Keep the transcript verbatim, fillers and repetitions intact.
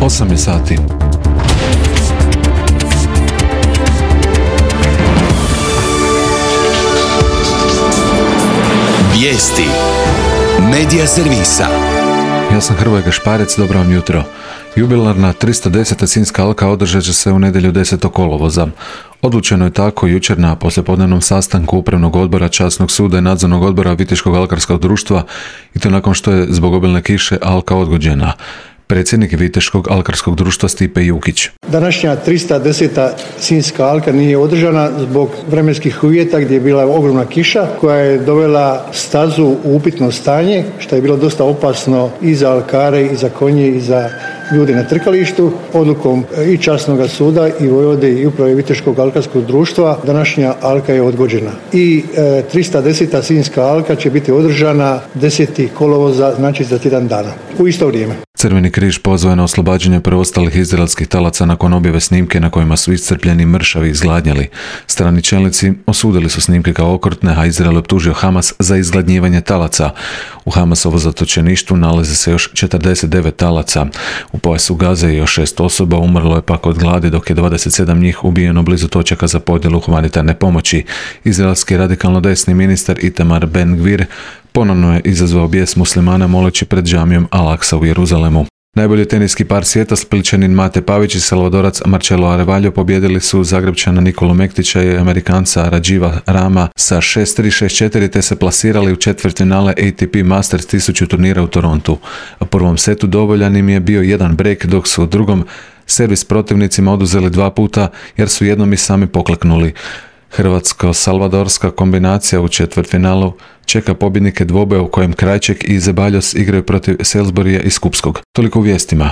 osam je sati. Vijesti Medija servisa. Ja sam Hrvoje Gašparec, dobro vam jutro. Jubilarna tristo deseta Sinjska alka održat će se u nedjelju desetog kolovoza. Odlučeno je tako jučer na poslijepodnevnom sastanku Upravnog odbora Časnog suda i Nadzornog odbora Viteškog alkarskog društva, i to nakon što je zbog obilne kiše alka odgođena. Predsjednik Viteškog alkarskog društva Stipe Jukić. Današnja tristo deseta Sinjska alka nije održana zbog vremenskih uvjeta gdje je bila ogromna kiša koja je dovela stazu u upitno stanje, što je bilo dosta opasno i za alkare, i za konje, i za ljude na trkalištu. Odlukom i Časnog suda i Vojvode i uprave Viteškog alkarskog društva današnja alka je odgođena. I e, tristo deseta Sinjska alka će biti održana desetog kolovoza, znači za tjedan dana, u isto vrijeme. Crveni križ pozvao je na oslobađanje preostalih izraelskih talaca nakon objave snimke na kojima su iscrpljeni mršavi izgladnjali. Strani čelnici osudili su snimke kao okrutne, a Izrael optužio Hamas za izgladnjivanje talaca. U Hamasovo zatočeništvu nalaze se još četrdeset devet talaca. U pojasu Gaze je još šest osoba, umrlo je pak od gladi, dok je dvadeset sedam njih ubijeno blizu točaka za podjelu humanitarne pomoći. Izraelski radikalno desni ministar Itamar Ben-Gvir ponovno je izazvao bijes muslimana moleći pred džamijom Al-Aqsa u Jeruzalemu. Najbolji teniski par svijeta, Splićanin Mate Pavić i Salvadorac Marcelo Arevaljo pobijedili su Zagrebčana Nikolu Mektića i Amerikanca Radživa Rama sa šest tri šest četiri te se plasirali u četvrtfinale A T P Masters tisuću turnira u Torontu. U prvom setu dovoljan im je bio jedan break, dok su u drugom servis protivnicima oduzeli dva puta jer su jednom i sami pokleknuli. Hrvatsko-salvadorska kombinacija u četvrtfinalu čeka pobjednike dvoboja u kojem Krajček i Zebaljos igraju protiv Salisburya i Skupskog. Toliko u vijestima.